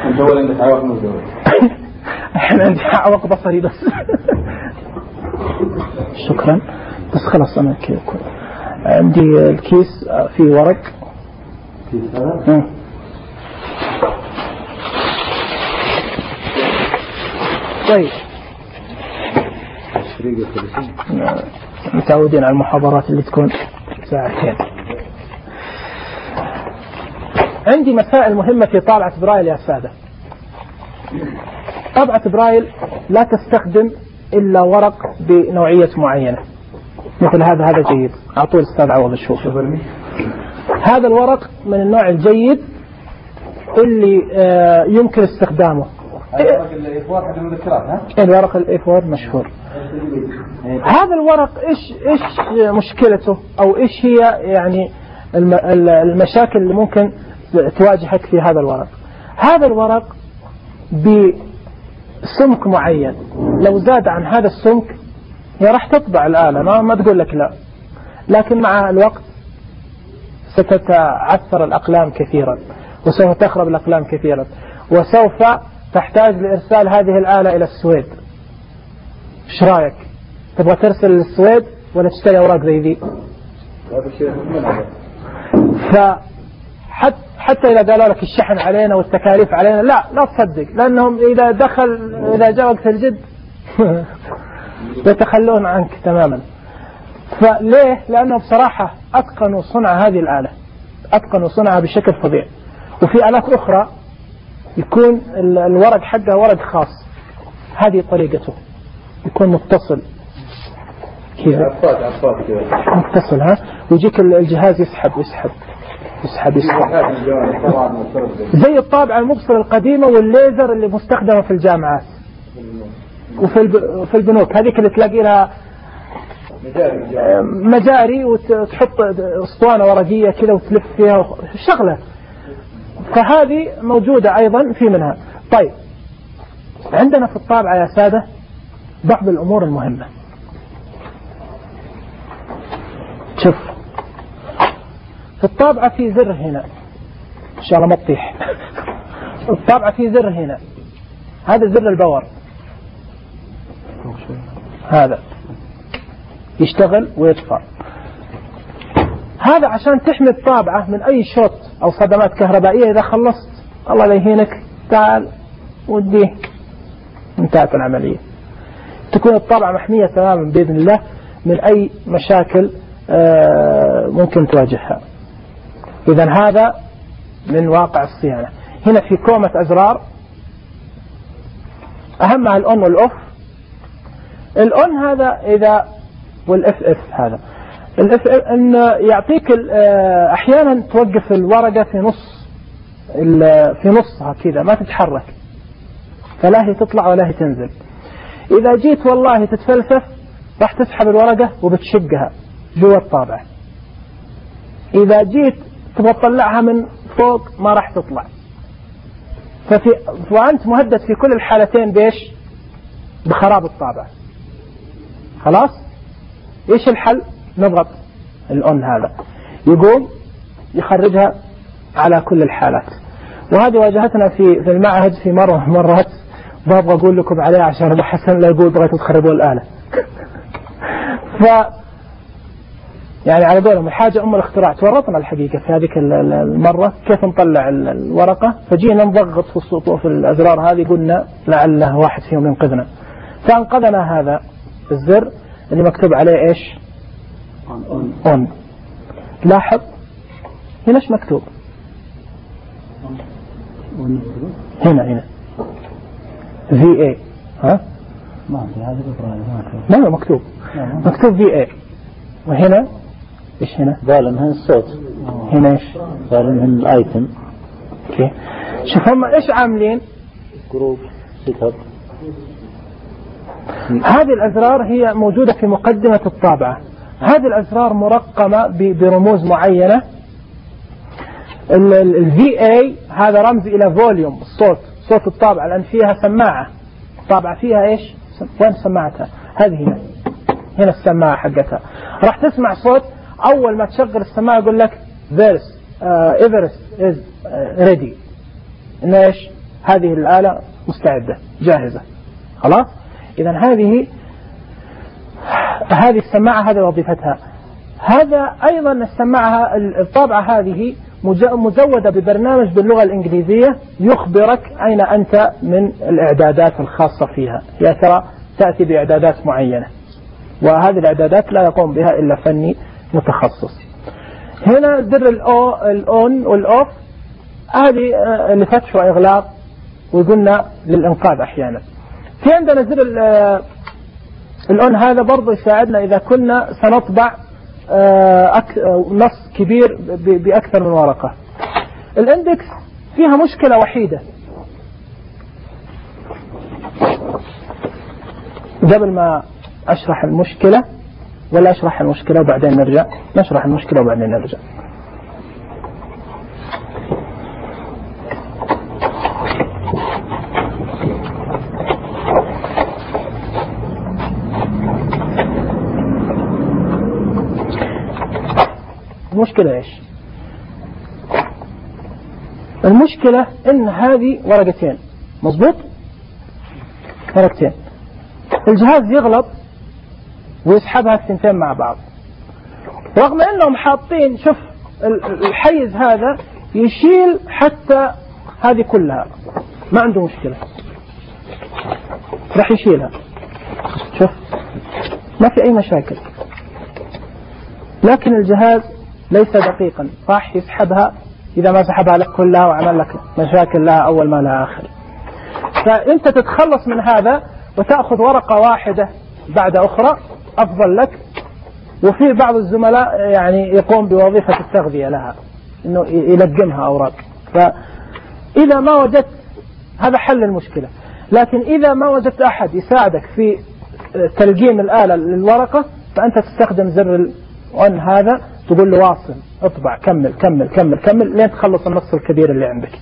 أنت أولا عندك عوق مزدوج. أنا عندي عوق بصري بس. شكرا. بس خلاص أنا كذا عندي الكيس فيه ورق. كيس هذا؟ طيب متعودين على المحاضرات اللي تكون ساعتين. عندي مسائل مهمة في طابعة برايل يا سادة. طابعة برايل لا تستخدم إلا ورق بنوعية معينة مثل هذا. هذا جيد، أعطوه الأستاذ عوض الشوف. هذا الورق من النوع الجيد اللي آه يمكن استخدامه. الورق الإيفور حق المذكرات ها؟ الورق الإيفور مشهور. هذا الورق إيش إيش مشكلته أو إيش هي يعني المشاكل اللي ممكن تواجهك في هذا الورق؟ هذا الورق بسمك معين، لو زاد عن هذا السمك هي راح تطبع الآلة، ما, ما تقول لك لا، لكن مع الوقت ستتعثر الأقلام كثيرا وسوف تخرب الأقلام كثيرا وسوف تحتاج لإرسال هذه الآلة إلى السويد. ايش رايك؟ تبغى ترسل للسويد ولا تشتري أوراق زي ذي؟ فحتى حتى إذا قالوا لك الشحن علينا والتكاليف علينا، لا لا تصدق، لأنهم إذا دخل إذا جاء وقت الجد يتخلون عنك تماما. فليه؟ لأنه بصراحة أتقنوا صنع هذه الآلة، أتقنوا صنعها بشكل فظيع. وفي آلات أخرى يكون الورق حقها ورق خاص، هذه طريقته، يكون متصل كذا متصل ها، ويجيك الجهاز يسحب يسحب يسحب يسحب زي الطابعة المبصرة القديمة والليزر اللي مستخدمة في الجامعات وفي البنوك، هذيك اللي تلاقي لها مجاري وتحط اسطوانة ورقية كذا وتلف فيها شغلة، فهذه موجودة أيضا في منها. طيب عندنا في الطابعة يا سادة بعض الأمور المهمة. شوف في الطابعة في زر هنا، إن شاء الله ما تطيح. الطابعة في زر هنا، هذا زر الباور، هذا يشتغل ويطفى. هذا عشان تحمي الطابعة من أي شوت أو صدمات كهربائية. إذا خلصت الله لا يهينك تعال وديه، انتهت العملية. تكون الطابعة محمية تماما بإذن الله من أي مشاكل ممكن تواجهها. إذن هذا من واقع الصيانة. هنا في كومة أزرار، أهمها الأون والأوف. الأون هذا إذا والإف إف هذا الإف إف إن يعطيك أحيانا توقف الورقة في نص في نصها كذا ما تتحرك، فلا هي تطلع ولا هي تنزل. إذا جيت والله تتفلسف راح تسحب الورقة وبتشقها جوا الطابعة. إذا جيت تبغى تطلعها من فوق ما راح تطلع. ففي وأنت مهدد في كل الحالتين بإيش؟ بخراب الطابعة. خلاص؟ إيش الحل؟ نضغط الأون هذا يقوم يخرجها على كل الحالات. وهذه واجهتنا في في المعهد في مرة مرات، بابغى أقول لكم عليها عشان أبو حسن لا يقول بغيتوا تخربوا الآلة. ف يعني على قولهم الحاجة أم الاختراع. تورطنا الحقيقة في هذيك المرة كيف نطلع الورقة، فجينا نضغط في السطوح في الأزرار هذه، قلنا لعله واحد فيهم ينقذنا، فانقذنا هذا الزر اللي مكتوب عليه إيش؟ أون. لاحظ هنا إيش مكتوب؟ هنا هنا في اي. ها؟ ما في هذا الإبراهيم لا لا مكتوب مكتوب في اي. وهنا ايش هنا؟ ظالم هنا الصوت. هنا ايش؟ ظالم هنا الايتم. اوكي شوف هم ايش عاملين؟ جروب سيت اب. هذه الأزرار هي موجودة في مقدمة الطابعة. هذه الأزرار مرقمة برموز معينة. ال في اي هذا رمز إلى فوليوم الصوت، صوت الطابعة، لأن فيها سماعة. الطابعة فيها إيش؟ وين سماعتها؟ هذه هنا هنا السماعة حقتها. راح تسمع صوت أول ما تشغل السماعة يقول لك This uh, Everest is uh, ready. إن إيش؟ هذه الآلة مستعدة جاهزة. خلاص؟ إذا هذه هذه السماعة هذه وظيفتها. هذا أيضا السماعة الطابعة هذه مزودة ببرنامج باللغة الإنجليزية يخبرك أين أنت من الإعدادات الخاصة فيها. يا ترى تأتي بإعدادات معينة، وهذه الإعدادات لا يقوم بها إلا فني متخصص. هنا زر الأون والأوف، هذه لفتح وإغلاق، وقلنا للإنقاذ أحيانا. في عندنا زر الأون، هذا برضو يساعدنا إذا كنا سنطبع نص كبير بأكثر من ورقة. الاندكس فيها مشكلة وحيدة. قبل ما أشرح المشكلة، ولا أشرح المشكلة وبعدين نرجع؟ نشرح المشكلة وبعدين نرجع. المشكلة إيش؟ المشكلة إن هذه ورقتين، مظبوط؟ ورقتين. الجهاز يغلط ويسحبها الثنتين مع بعض، رغم إنهم حاطين، شوف الحيز هذا يشيل حتى هذه كلها، ما عنده مشكلة، راح يشيلها، شوف ما في أي مشاكل. لكن الجهاز ليس دقيقا، راح يسحبها، إذا ما سحبها لك كلها وعمل لك مشاكل لها أول ما لها آخر. فأنت تتخلص من هذا وتأخذ ورقة واحدة بعد أخرى أفضل لك. وفي بعض الزملاء يعني يقوم بوظيفة التغذية لها، إنه يلقمها أوراق. فإذا ما وجدت، هذا حل المشكلة. لكن إذا ما وجدت أحد يساعدك في تلقيم الآلة للورقة، فأنت تستخدم زر الأون هذا، تقول له واصل، اطبع، كمل كمل كمل كمل لين تخلص النص الكبير اللي عندك.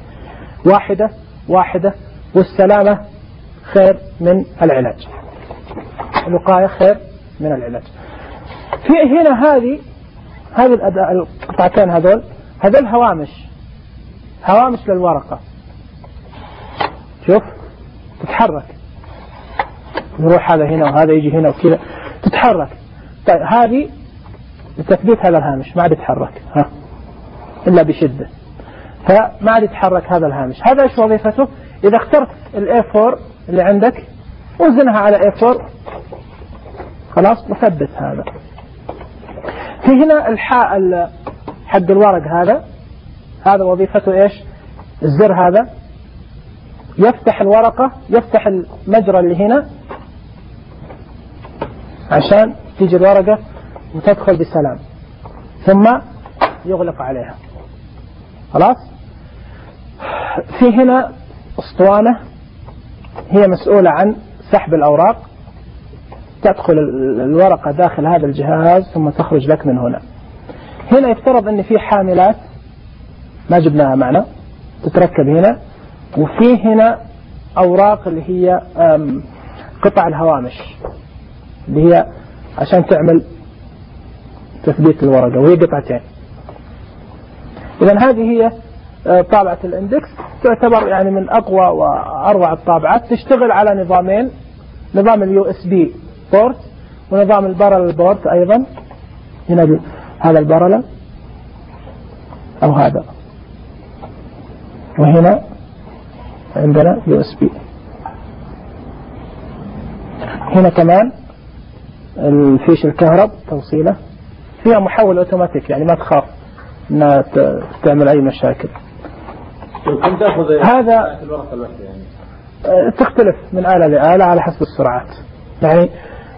واحدة واحدة، والسلامة خير من العلاج، الوقاية خير من العلاج. في هنا هذه هذه القطعتين هذول هذول هوامش هوامش للورقة، شوف تتحرك، يروح هذا هنا وهذا يجي هنا وكذا، تتحرك. طيب هذه لتثبيت هذا الهامش ما عاد يتحرك، ها إلا بشدة، فما عاد يتحرك هذا الهامش. هذا إيش وظيفته؟ إذا اخترت الإيه فور اللي عندك وزنها على إيه فور، خلاص وثبت هذا. في هنا الحاء حق الورق هذا، هذا وظيفته إيش؟ الزر هذا يفتح الورقة، يفتح المجرى اللي هنا عشان تيجي الورقة وتدخل بسلام، ثم يغلق عليها، خلاص. في هنا اسطوانة هي مسؤولة عن سحب الأوراق، تدخل الورقة داخل هذا الجهاز ثم تخرج لك من هنا. هنا يفترض أن في حاملات ما جبناها معنا تتركب هنا، وفي هنا أوراق اللي هي قطع الهوامش اللي هي عشان تعمل تثبيت الورقة، وهي قطعتين. إذن هذه هي طابعة الاندكس، تعتبر يعني من أقوى وأروع الطابعات. تشتغل على نظامين، نظام اليو اس بي بورت ونظام البارل بورت أيضا. هنا هذا البارل أو هذا، وهنا عندنا يو اس بي. هنا كمان الفيش الكهرب توصيله، فيها محول اوتوماتيك، يعني ما تخاف انها تعمل اي مشاكل. هذا تختلف من آلة لآلة على حسب السرعات. يعني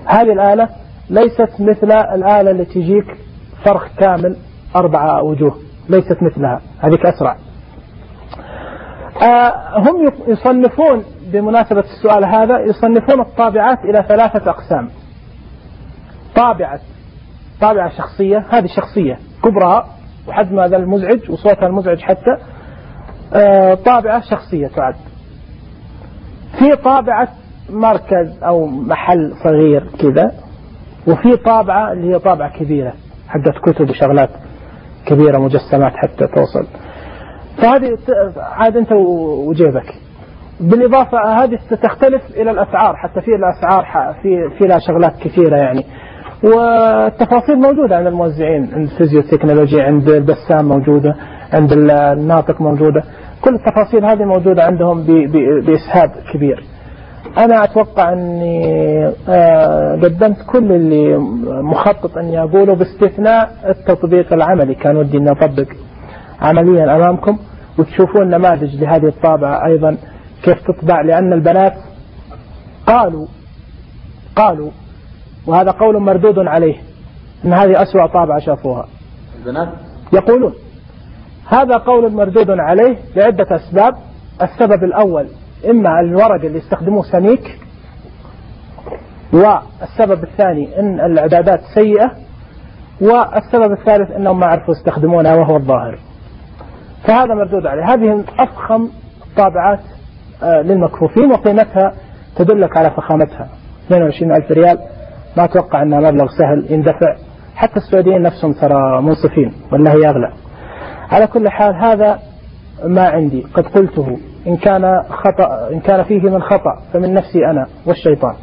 هذه الآلة ليست مثل الآلة اللي تجيك فرخ كامل أربعة وجوه، ليست مثلها، هذيك أسرع. آه هم يصنفون بمناسبة السؤال هذا، يصنفون الطابعات إلى ثلاثة أقسام. طابعة طابعة شخصية، هذه شخصية كبرى وحجمها هذا المزعج وصوتها المزعج حتى، آه طابعة شخصية تعد. في طابعة مركز أو محل صغير كذا، وفي طابعة اللي هي طابعة كبيرة حقت كتب وشغلات كبيرة مجسمات حتى توصل. فهذه عاد أنت وجيبك. بالإضافة هذه تختلف إلى الأسعار، حتى في الأسعار في في لها شغلات كثيرة يعني، والتفاصيل موجودة عند الموزعين، عند فيزيو تكنولوجي، عند البسام موجودة، عند الناطق موجودة، كل التفاصيل هذه موجودة عندهم بإسهاب كبير. أنا أتوقع أني قدمت كل اللي مخطط أني أقوله باستثناء التطبيق العملي. كان ودي أن أطبق عمليا أمامكم وتشوفون نماذج لهذه الطابعة أيضا كيف تطبع، لأن البنات قالوا قالوا وهذا قول مردود عليه أن هذه أسوأ طابعة شافوها. البنات يقولون هذا قول مردود عليه لعدة أسباب. السبب الأول إما الورق اللي يستخدموه سميك، والسبب الثاني إن الإعدادات سيئة، والسبب الثالث إنهم ما عرفوا يستخدمونها وهو الظاهر. فهذا مردود عليه. هذه أفخم طابعات للمكفوفين وقيمتها تدلك على فخامتها، اثنين وعشرين ألف ريال. ما أتوقع أنها مبلغ سهل يندفع، حتى السعوديين نفسهم ترى منصفين ولا هي أغلى. على كل حال هذا ما عندي قد قلته. إن كان خطأ إن كان فيه من خطأ فمن نفسي أنا والشيطان،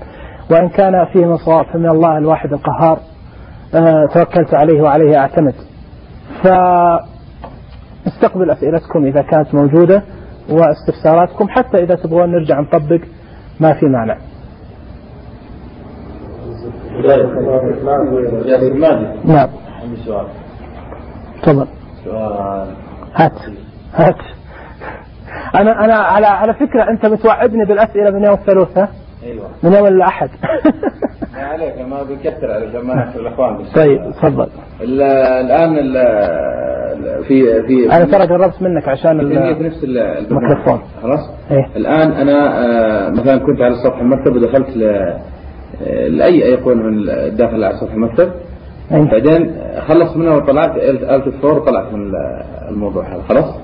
وإن كان فيه من صواب فمن الله الواحد القهار. أه توكلت عليه وعليه أعتمد. فاستقبل أسئلتكم إذا كانت موجودة واستفساراتكم، حتى إذا تبغون نرجع نطبق ما في معنى. نعم. عندي سؤال. تفضل. سؤال. هات هات. أنا أنا على على فكرة أنت بتوعدني بالأسئلة من يوم الثلاثاء. أيوة. من يوم الأحد. ما عليك، ما بكثر عليك ما نحصل الأخوان. طيب تفضل. الآن ال في في أنا ترى قربت منك عشان في نفس الميكروفون. خلاص. إيه؟ الآن أنا مثلا كنت على سطح المكتب ودخلت ل لأي أيقونة من داخل على سطح المكتب. أيه؟ بعدين خلصت منها وطلعت آلت فور وطلعت من الموضوع هذا خلاص.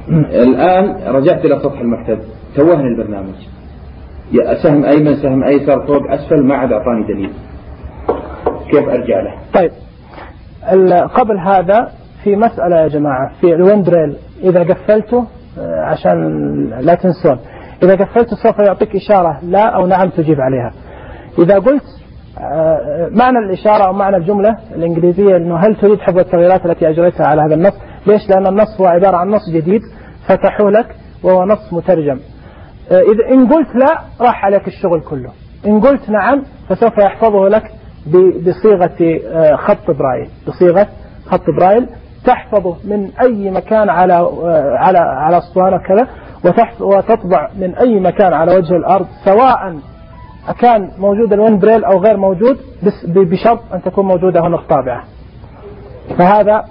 م. الآن رجعت إلى سطح المكتب توهني البرنامج، سهم أيمن سهم أيسر فوق أسفل ما عاد أعطاني دليل، كيف أرجع له؟ طيب قبل هذا في مسألة يا جماعة في الويندريل، إذا قفلته عشان لا تنسون، إذا قفلته سوف يعطيك إشارة لا أو نعم تجيب عليها. إذا قلت معنى الإشارة أو معنى الجملة الإنجليزية أنه هل تريد حفظ التغييرات التي أجريتها على هذا النص؟ ليش؟ لأن النص هو عبارة عن نص جديد فتحوا لك وهو نص مترجم. إذا إن قلت لا راح عليك الشغل كله، إن قلت نعم فسوف يحفظه لك بصيغة خط برايل، بصيغة خط برايل تحفظه من أي مكان على على على أسطوانة كذا، وتطبع من أي مكان على وجه الأرض، سواء كان موجود الويندريل أو غير موجود، بس بشرط أن تكون موجودة هنا الطابعة. فهذا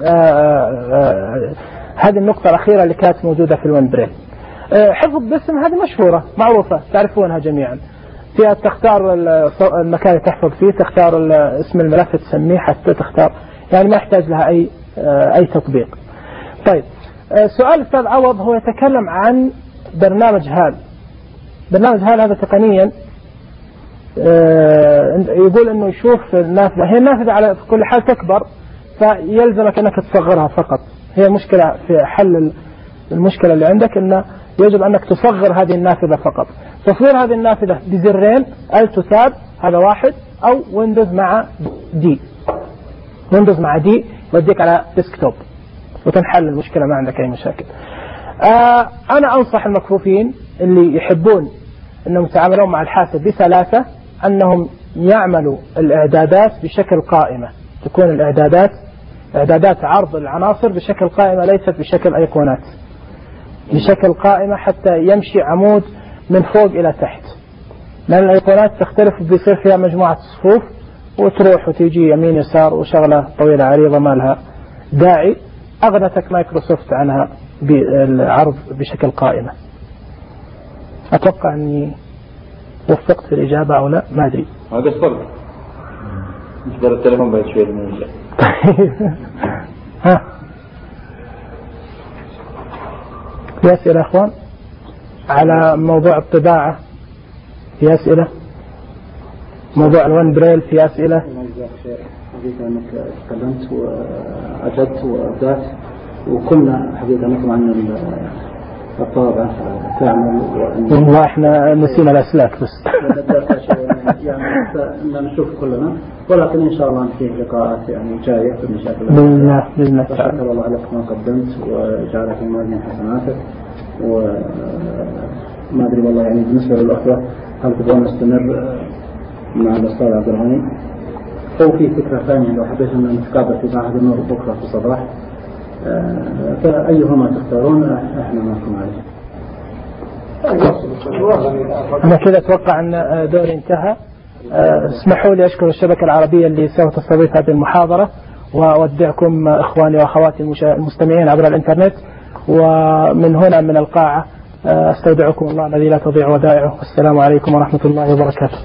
آآ آآ هذه النقطة الأخيرة اللي كانت موجودة في الويندريل. حفظ باسم هذه مشهورة معروفة تعرفونها جميعا، فيها تختار المكان اللي تحفظ فيه، تختار اسم الملف تسميه، حتى تختار، يعني ما يحتاج لها أي أي تطبيق. طيب سؤال أستاذ عوض هو يتكلم عن برنامج هال. برنامج هال هذا تقنيا يقول انه يشوف النافذة، هي النافذة على كل حال تكبر فيلزمك انك تصغرها فقط. هي مشكلة في حل المشكلة اللي عندك، انه يجب انك تصغر هذه النافذة فقط. تصغير هذه النافذة بزرين الت تاب هذا واحد، او ويندوز مع دي، ويندوز مع دي يوديك على ديسكتوب وتنحل المشكلة، ما عندك اي مشاكل. آه انا انصح المكفوفين اللي يحبون انهم يتعاملون مع الحاسب بسلاسة انهم يعملوا الاعدادات بشكل قائمة، تكون الاعدادات اعدادات عرض العناصر بشكل قائمة ليست بشكل ايقونات، بشكل قائمة حتى يمشي عمود من فوق الى تحت، لان الايقونات تختلف بيصير فيها مجموعة صفوف وتروح وتيجي يمين يسار وشغلة طويلة عريضة ما لها داعي. اغنتك مايكروسوفت عنها بالعرض بشكل قائمة. أتوقع أني وفقت في الإجابة أو لا، ما أدري. هذا الصدق. نجبر التليفون بعد شوي من الله. ها. في أسئلة أخوان على موضوع الطباعة؟ في أسئلة؟ موضوع الون بريل في أسئلة؟ حقيقة أنك تكلمت وأجبت وأبدأت، وكنا حقيقة نطلع عن الطابع تعمل والله احنا نسينا الأسلاك بس يعني إن نشوف كلنا، ولكن إن شاء الله نفيه لقاءات يعني جاية إن شاء الله. بإذن الله بإذن الله. شكر الله لك ما قدمت وجعلك في موازين حسناتك. وما أدري والله يعني بالنسبة للأخوة هل تبغون نستمر مع الأستاذ عبد الغني أو في فكرة ثانية لو حبيت أن نتقابل في معهد النور بكرة في الصباح، فأيهما تختارون احنا معكم عليه. أنا كذا أتوقع أن دوري انتهى. اسمحوا لي أشكر الشبكة العربية اللي سوف تستضيف هذه المحاضرة، وأودعكم إخواني وأخواتي المستمعين عبر الإنترنت، ومن هنا من القاعة استودعكم الله الذي لا تضيع ودائعه. السلام عليكم ورحمة الله وبركاته.